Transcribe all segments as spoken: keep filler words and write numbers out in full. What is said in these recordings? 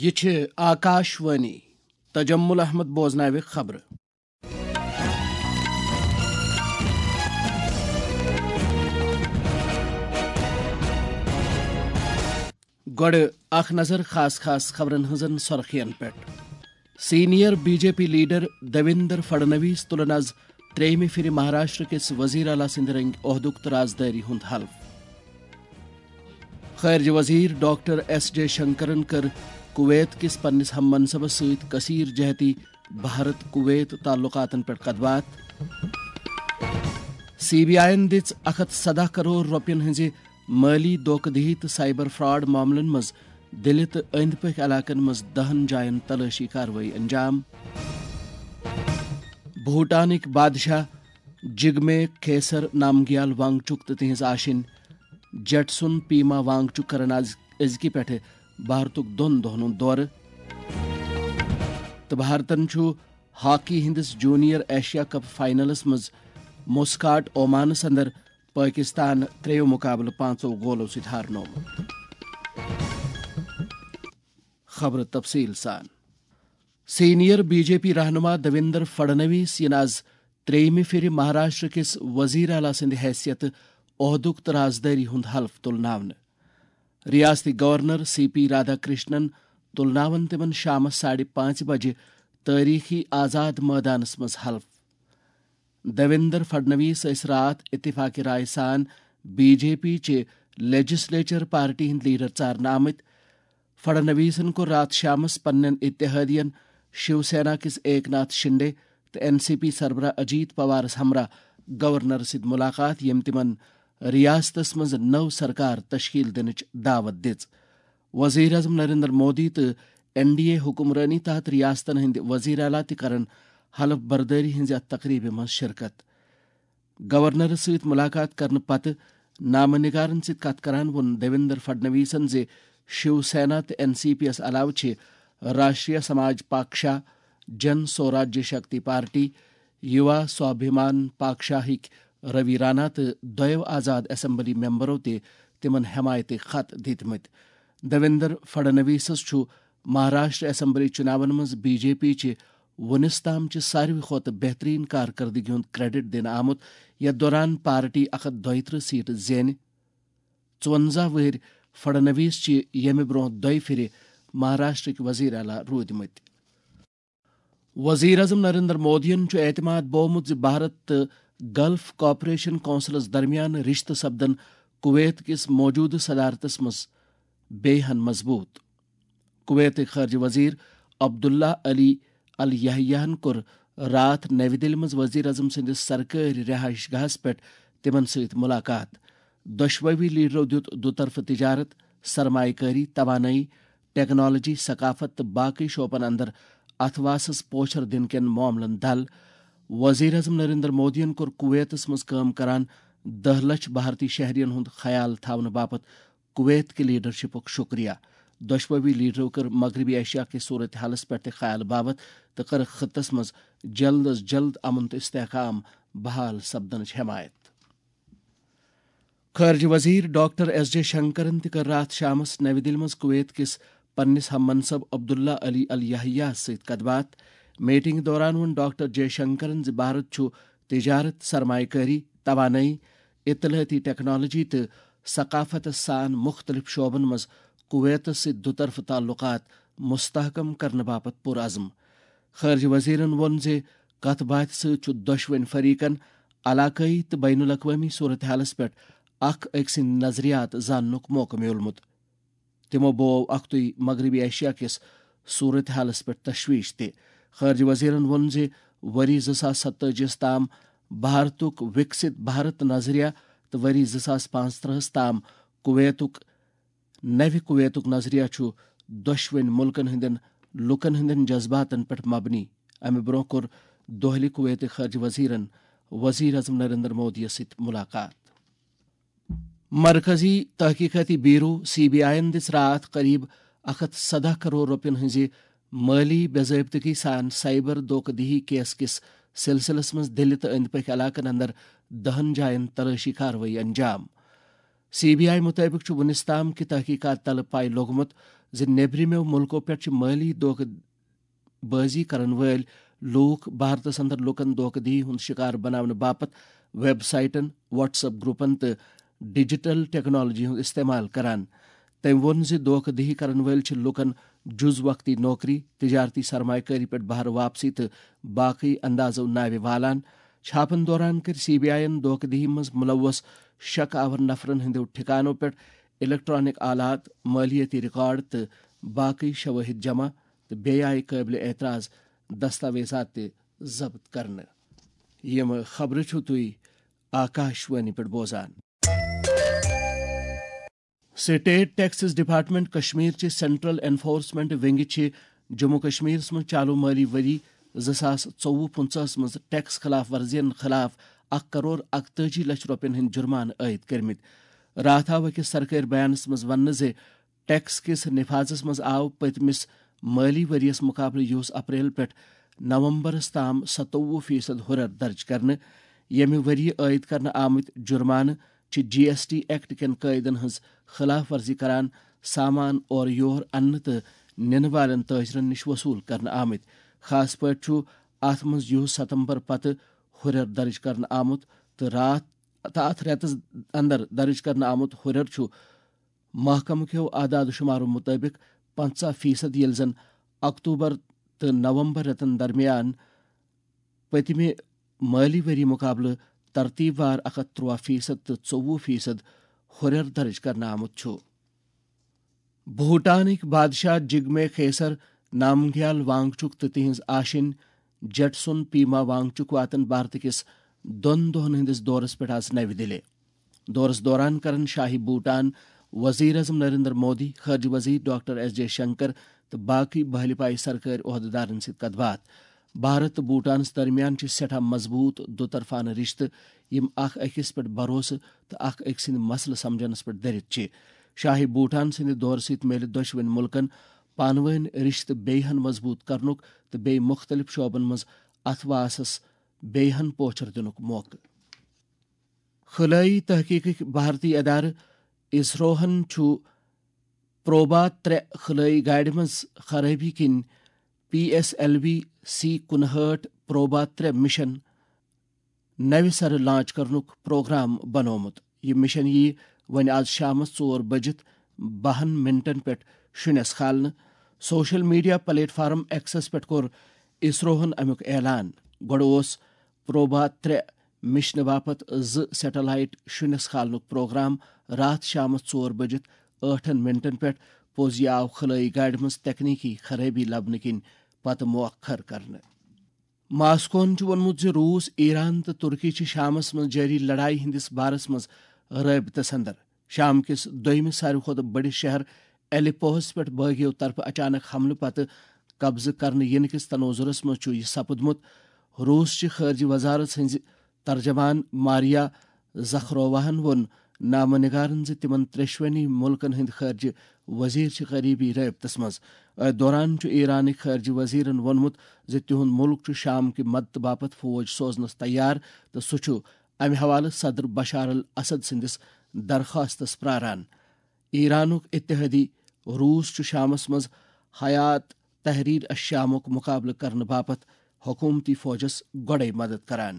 یہِ چھِ آکاش وانی۔ تجمل احمد بوزناوِ خبرٕ۔ گۄڈٕ اکھ نظر خاص خاص خبرن ہٕنٛزن سرخین پٮ۪ٹھ۔ Senior B J P leader Devendra Fadnavis تُلن از ترٛیٚیمہِ پھِرِ مہاراشٹر کِس وزیر اعلیٰ سٕنٛدِ رٔنگۍ عہدُک تہٕ رازدٲری ہُنٛد حلف۔ خارجہ وزیر ڈاکٹر ایس جے شنکرن کٔر کویت کِس پننِس ہم منصبس سۭتۍ کثیر جہتی بھارت کویت تعلقاتن پٮ۪ٹھ کتھ باتھ۔ سی بی آئی یَن دِژ اکھ ہتھ سدہ کرور رۄپین ہٕنٛزِ مٲلی دھوکہ دہی تہٕ سائبر فراڈ معاملن منٛز دِلہِ تہٕ أنٛدۍ پٔکھۍ علاقن منٛز دہن جاین تلٲشی کاروٲیی انجام۔ بھوٹانٕکۍ بادشاہ جگمے کھیسر نامگیال وانگچک تہٕ تِہنٛز آشِنۍ جیٹسون پیما وانگچک کرن از أزکہِ پٮ۪ٹھٕ بھارتُک دۄن دۄہن ہُنٛد دورٕ۔ تہٕ بھارتن چھُ ہاکی ہٕنٛدِس جونیئر ایشیا کپ فائنلس منٛز مسکاٹ اومانس اندر پٲکستان ترٛیٚیو مقابلہٕ پانٛژو گولو سۭتۍ ہارنومُت۔ خبرٕ تفصیٖل سان۔ سینئر بی جے پی رہنما دیویندر فڈنویس یِن از ترٛیٚیمہِ پھِرِ مہاراشٹر کِس وزیر اعلیٰ سٕنٛدِ حیثیتہٕ عہدُک تہٕ رازدٲری ہُنٛد حلف تُلناونہٕ۔ ریاستی governor C P Radhakrishnan تُلناوَن تِمَن شامَس ساڑِ پانٛژِ بجہِ تٲریخی آزاد مٲدانَس منٛز حلف۔ دیویندر فڈنویس ٲسۍ راتھ اتفاق رائے سان بی جے پی چہِ لیجسلیچر پارٹی ہٕنٛدۍ لیڈر ژارنہٕ آمٕتۍ۔ فڈنویسن کوٚر راتھ شامس پننٮ۪ن اتحادین شیو سینا کِس ایک ناتھ شنڈے تہٕ این سی پی سربراہ اجیت پوارس ہمراہ گورنر سۭتۍ ملاقات، ییٚمۍ تِمن ریاستس منٛز نٔو سرکار تشکیل دِنٕچ دعوت دِژ۔ وزیر اعظم نریندر مودی تہٕ این ڈی اے حکمرٲنی تحت ریاستن ہٕنٛدۍ وزیر اعلیٰ تہِ کرن حلف بردٲری ہٕنٛزِ اتھ تقریبہِ منٛز شرکت۔ گورنرس سۭتۍ ملاقات کرنہٕ پتہٕ نامہ نگارن سۭتۍ کتھ کران ووٚن دیویندر فڈنویسن زِ شیو سینا تہٕ این سی پی یَس علاوٕ چھِ راشٹریہ سماج پاکشا، جن سوراجیہ شکتی پارٹی، یوا سوابھیمان پاکشاہٕکۍ روی رانا تہٕ دۄیو آزاد اسمبلی ممبرو تہِ تِمن حمایتٕکۍ خط دِتمٕتۍ۔ دیویندر فڈنویسس چھُ مہاراشٹر اسمبلی چُناون منٛز بی جے پی چہِ وُنِس تام چہِ ساروی کھۄتہٕ بہترین کارکردگی ہُنٛد کریڈٹ دِنہٕ آمُت، یتھ دوران پارٹی اکھ ہتھ دۄیترٕہ سیٹہٕ زینہِ۔ ژُونزہ وٕہٕرۍ فڈنویس چھِ ییٚمہِ برونٛہہ دۄیہِ پھِرِ مہاراشٹرٕکۍ وزیر اعلیٰ روٗدمٕتۍ۔ وزیر اعظم نریندر مودیَن چھُ اعتماد بوومُت زِ بھارت تہٕ گلف کوآپریشن کونسلس درمیان رشتہٕ سپدن کویت کِس موجودٕ صدارتس منٛز بیٚیہِ ہن مضبوٗط۔ کویتٕکۍ خارجہ وزیر عبداللہ علی الیحیہن کوٚر راتھ نَوِ دِلہِ منٛز وزیر اعظم سٕنٛدِس سرکٲرۍ رہائش گاہس پٮ۪ٹھ تِمن سۭتۍ ملاقات۔ دۄشوٕے لیڈرو دیُت دُطرفہٕ تجارت، سرمایہ کٲری، توانٲیی، ٹیکنالوجی، ثقافت تہٕ باقی شعبن اندر اتھواسس پوچھر دِنہٕ کٮ۪ن معاملن دل۔ وزیر اعظم نریندر مودیَن کوٚر کویتس منٛز کٲم کران دہ لچھ بھارتی شہرین ہُنٛد خیال تھاونہٕ باپتھ کویت کہِ لیڈرشپُک شکریہ۔ دۄشوٕے لیڈرو کٔر مغربی ایشیا کِس صورتحالس پٮ۪ٹھ تہِ خیال باوتھ تہٕ کٔرٕکھ خطس منٛز جلد از جلد امن تہٕ استحکام بحال سپدنٕچ حمایت۔ خارجہ وزیر ڈاکٹر ایس جے شنکرن تہِ کٔر راتھ شامس نَوِ دِلہِ منٛز کویت کِس پننِس ہم منصب عبداللہ علی الیحییَس سۭتۍ کتھ باتھ۔ میٹنگ دوران ووٚن ڈاکٹر جے شنکرن زِ بھارت چھُ تجارت، سرمایہ کٲری، توانٲیی، اطلاعاتی ٹیکنالوجی تہٕ ثقافتس سان مُختٔلِف شعبن منٛز کویتس سۭتۍ دُطرفہٕ تعلقات مستحکم کرنہٕ باپتھ پُرعزم۔ خارجہ وزیرن ووٚن زِ کتھ باتھِ سۭتۍ چھُ دۄشوٕنۍ فریقن علاقٲیی تہٕ بین الاقوٲمی صورتحالس پٮ۪ٹھ اکھ أکۍ سٕنٛدۍ نظریات زاننُک موقعہٕ میوٗلمُت۔ تِمو بوو اکھتُے مغربی ایشیا کِس صورتحالس پٮ۪ٹھ تشویش تہِ۔ خارجہ وزیرن ووٚن زِ ؤری زٕ ساس ستٲجی یَس تام بھارتُک وِکسِت بھارت نظریہ تہٕ ؤری زٕ ساس پانٛژترٕہَس تام کویتُک نوِ کویتُک نظریہ چھُ دۄشوٕنۍ مُلکن ہٕنٛدٮ۪ن لوٗکن ہٕنٛدٮ۪ن جذباتن پٮ۪ٹھ مبنی۔ امہِ برٛونٛہہ کوٚر دۄہلہِ کویتٕکۍ خارجہ وزیرن وزیر اعظم نریندر مودیَس سۭتۍ ملاقات۔ مرکزی تحقیقاتی بیورو، سی بی آئی یَن دِژ راتھ قریب اکھ ہتھ سدہ کرور رۄپین ہٕنٛزِ مٲلی بے ضٲبطگی سان سائبر دھوکہ دہی کیس کِس سلسلس منٛز دِلہِ تہٕ أنٛدۍ پٔکھۍ علاقن اندر دہن جاین تلٲشی کاروٲیی انجام۔ سی بی آئی مُطٲبِق چھُ وُنِس تام کہِ تحقیقات تلہٕ پاے لوٚگمُت زِ نیبرِمٮ۪و مُلکو پٮ۪ٹھ چھِ مٲلی دھوکہٕ بٲزی کرن وٲلۍ لوٗکھ بھارتس اندر لوٗکن دھوکہٕ دِہی ہُنٛد شکار بناونہٕ باپتھ ویب سائٹن، واٹس ایپ گروپن تہٕ ڈیجیٹل ٹیکنالوجی ہُنٛد استعمال کران۔ تٔمۍ ووٚن زِ دھوکہٕ دِہی کرن وٲلۍ چھِ لوٗکن جُز وقتی نوکری، تجارتی سرمایہ کٲری پٮ۪ٹھ بہرٕ واپسی تہٕ باقٕے اندازو ناوِ والان۔ چھاپن دوران کٔرۍ سی بی آئی یَن دھوکہٕ دِہی منٛز ملوث شک آور نفرن ہٕنٛدیو ٹھکانو پٮ۪ٹھ الیکٹرانک آلات، مٲلیٲتی ریکارڈ تہٕ باقٕے شوٲہد جمع، تہٕ بیٚیہِ آیہِ قٲبلِ اعتراض دستاویزات تہِ ضبط کرنہٕ۔ یِم خبرٕ چھِو تُہۍ آکاش وانی پٮ۪ٹھ بوزان۔ سٹیٹ ٹیکسز ڈپارٹمنٹ کشمیر چہِ سینٹرل انفورسمنٹ ونگہِ چھِ جموں کشمیرس منٛز چالو مٲلی ؤری زٕ ساس ژوٚوُہ پٕنٛژٕہس منٛز ٹیکس خلاف ورزین خلاف اکھ کرور اکتٲجی لچھ رۄپین ہٕنٛدۍ جرمانہٕ عائد کٔرمٕتۍ۔ راتھ آو أکِس سرکٲرۍ بیانس منٛز وننہٕ زِ ٹیکس کِس نفاذس منٛز آو پٔتمِس مٲلی ؤریَس مُقابلہٕ یُس اپریل پٮ۪ٹھ نومبرَس تام ستووُہ فیصد ہُرٮ۪ر درٕج کرنہٕ، ییٚمہِ ؤریہِ عٲید کرنہٕ آمٕتۍ جُرمانہٕ چھِ جی ایس ٹی ایکٹ کٮ۪ن قٲیدَن ہٕنٛز خلاف ورزی کران، سامان اورٕ یور اننہٕ تہٕ نِنہٕ والٮ۪ن تٲجرَن نِش وصوٗل کرنہٕ آمٕتۍ۔ خاص پٲٹھۍ چھُ اَتھ منٛز یُہُس ستمبر پتہٕ ہُرٮ۪ر درٕج کرنہٕ آمُت تہٕ راتھ تہٕ اَتھ رٮ۪تَس اندر درٕج کرنہٕ آمُت ہُرٮ۪ر چھُ محکمہٕ کیو اعداد و شمارو مُطٲبِق پنٛژاہ فیصد، ییٚلہِ زن اکتوبر تہٕ نومبر رٮ۪تن درمیان پٔتمہِ مٲلی ؤری مُقابلہٕ ترتیٖب وار اکھ ہتھ ترٛواہ فیصد تہٕ ژوٚوُہ فیصد ہُرٮ۪ر درٕج کرنہٕ آمُت چھُ۔ بھوٹانٕکۍ بادشاہ جگمے خیسر نامگیال وانگچک تہٕ تِہنٛز آشِنۍ جیٹسون پیما وانگچک واتن بھارت کِس دۄن دۄہن ہٕنٛدِس دورس پٮ۪ٹھ آز نَوِ دِلہِ۔ دورس دوران کرن شاہی بھوٹان وزیر اعظم نریندر مودی، خارجہ وزیر ڈاکٹر ایس جے شنکر تہٕ باقی بحلہِ پایہِ سرکٲرۍ عہدیدارن سۭتۍ کتھ باتھ۔ بھارت تہٕ بھوٹانس درمیان چھِ سٮ۪ٹھاہ مضبوٗط دُطرفانہٕ رشتہٕ، یِم اکھ أکِس پٮ۪ٹھ بھروسہٕ تہٕ اکھ أکۍ سٕنٛدۍ مسلہٕ سمجھنس پٮ۪ٹھ دٔرِتھ چھِ۔ شاہی بھوٹان سٕنٛدِ دورٕ سۭتۍ میلہِ دۄشوٕنۍ مُلکن پانہٕ وٲنۍ رشتہٕ بیٚیہِ ہن مضبوٗط کرنُک تہٕ بیٚیہِ مُختٔلِف شعبن منٛز اتھواسس بیٚیہِ ہن پوچھر دِنُک موقعہٕ۔ خلٲیی تحقیقٕکۍ بھارتی ادارٕ اسروہن چھُ پروبا ترٛےٚ خلٲیی گاڑِ منٛز خرٲبی کِنۍ P S L V C کُنہٲٹھ پروبا ترٛےٚ مشن نوِ سرٕ لانچ کرنُک پروگرام بنوومُت۔ یہِ مشن یِیہِ وۄنۍ آز شامس ژور بجِتھ بَہَن منٹن پٮ۪ٹھ شُنٮ۪س کھالنہٕ۔ Social media platform access پٮ۪ٹھ کوٚر اسروہن امیُک اعلان۔ گۄڈٕ اوس پروبا ترٛےٚ مشنہٕ باپتھ زٕ سیٹلائٹ شُنٮ۪س کھالنُک پروگرام راتھ شامس ژور بجِتھ ٲٹھن منٹن پٮ۪ٹھ۔ پوٚز یہِ آو خلٲیی گاڑِ منٛز تکنیکی خرٲبی لبنہٕ کِنۍ پتہٕ مؤخر کرنہٕ۔ ماسکوہن چھُ ووٚنمُت زِ روٗس، ایران تہٕ ترکی چھِ شامس منٛز جٲری لڑایہِ ہٕنٛدِس بارس منٛز رٲبطس اندر۔ شام کِس دوٚیمِس ساروی کھۄتہٕ بٔڑِس شہر الیپوہس پٮ۪ٹھ بٲغیو طرفہٕ اچانک حملہٕ پتہٕ قبضہٕ کرنہٕ یِنہٕ کِس تناظرس منٛز چھُ یہِ سپُدمُت۔ روٗس چہِ خارجہ وزارت ہٕنٛزِ ترجمان ماریا زخروواہن ووٚن نامہ نگارن زِ تِمن ترٛیشوٕنی مُلکن ہٕنٛدۍ خارجہ وزیر چھِ قریبی رٲبطس منٛز۔ أتھۍ دوران چھُ ایرانٕکۍ خارجہ وزیرن ووٚنمُت زِ تِہُنٛد مُلک چھُ شام کہِ مدتہٕ باپتھ فوج سوزنس تیار تہٕ سُہ چھُ امہِ حوالہٕ صدر بشار الاسد سٕنٛدِس درخواستس پراران۔ ایرانُک اتحادی روٗس چھُ شامس منٛز حیات تحریر الشامُک مُقابلہٕ کرنہٕ باپتھ حکوٗمتی فوجس گۄڈَے مدد کران۔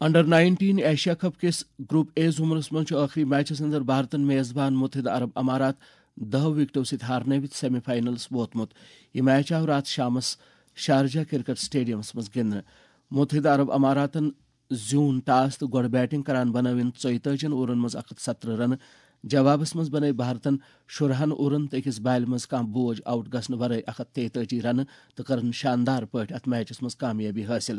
انڈر نائنٹین ایشیا کپ کِس گروپ اے زمرس منٛز چھُ ٲخری میچس اندر بھارتن میزبان متحدہ عرب امارات دَہو وکٹو سۭتۍ ہارنٲوِتھ سیمی فائنلس ووتمُت۔ یہِ میچ آو راتھ شامس شارجہ کرکٹ سٹیڈیمس منٛز گِنٛدنہٕ۔ متحدہ عرب اماراتن زیوٗن ٹاس تہٕ گۄڈٕ بیٹنگ کران بنٲوِن ژۄیتٲجِن اوورن منٛز اکھ ہتھ ستترٕہ رنہٕ۔ جوابس منٛز بنٲوۍ بھارتن شُرہن اوورن تہٕ أکِس بالہِ منٛز کانٛہہ بوج آؤٹ گژھنہٕ ورٲے اکھ ہتھ تیتٲجی رنہٕ تہٕ کٔرٕن شاندار پٲٹھۍ اتھ میچس منٛز کامیٲبی حٲصِل۔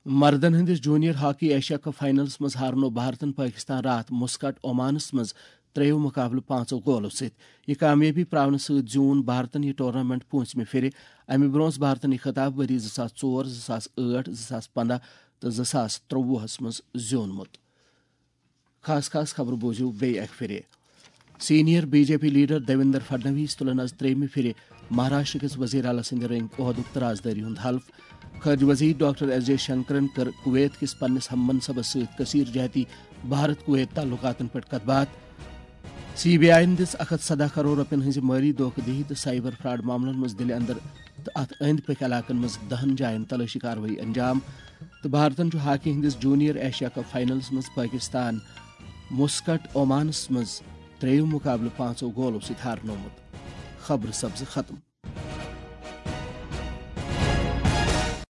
مردن ہٕنٛدِس junior hockey Asia cup finals منٛز ہارنوو بھارتن پٲکستان راتھ مسقط عمانس منٛز ترٛیٚیو مقابلہٕ پانٛژو گولو سۭتۍ۔ یہِ کامیٲبی پراونہٕ سۭتۍ زیوٗن بھارتن یہِ ٹورنامنٹ پوٗنٛژمہِ پھِرِ۔ امہِ برٛونٛہہ ٲس بھارتن یہِ خطاب ؤری زٕ ساس ژور، زٕ ساس ٲٹھ، زٕ ساس پنٛداہ تہٕ زٕ ساس ترٛۆوُہس منٛز زیوٗنمُت۔ خاص خاص خبرٕ بوٗزِو بیٚیہِ اکہِ پھِرِ۔ Senior B J P leader Devendra Fadnavis تُلن آز ترٛیٚیمہِ پھِرِ مہاراشٹر کِس وزیر اعلیٰ سٕنٛدِ رٔنگۍ عہدُک ترازدٲری ہُنٛد حلف۔ خارجہ وزیر ڈاکٹر ایس جے شنکرن کٔر کویت کِس پننِس ہم منصبس سۭتۍ کثیر جہتی بھارت کویت تعلقاتن پٮ۪ٹھ کتھ باتھ۔ سی بی آئی یَن دِژ اکھ ہتھ سداہ کرور رۄپین ہٕنٛزِ مٲلی دھوکہٕ دِہی تہٕ سائبر فراڈ معاملن منٛز دِلہِ اندر تہٕ اتھ أنٛدۍ پٔکۍ علاقن منٛز دہن جاین تلٲشی کاروٲیی انجام۔ تہٕ بھارتن چھُ ہاکی ہٕنٛدِس جونیئر ایشیا کپ فائنلس منٛز پٲکستان مسقط عمانس منٛز ترٛیٚیِم مقابلہٕ پانٛژو گولو سۭتۍ ہارنومُت۔ خبرٕ سپزٕ ختم۔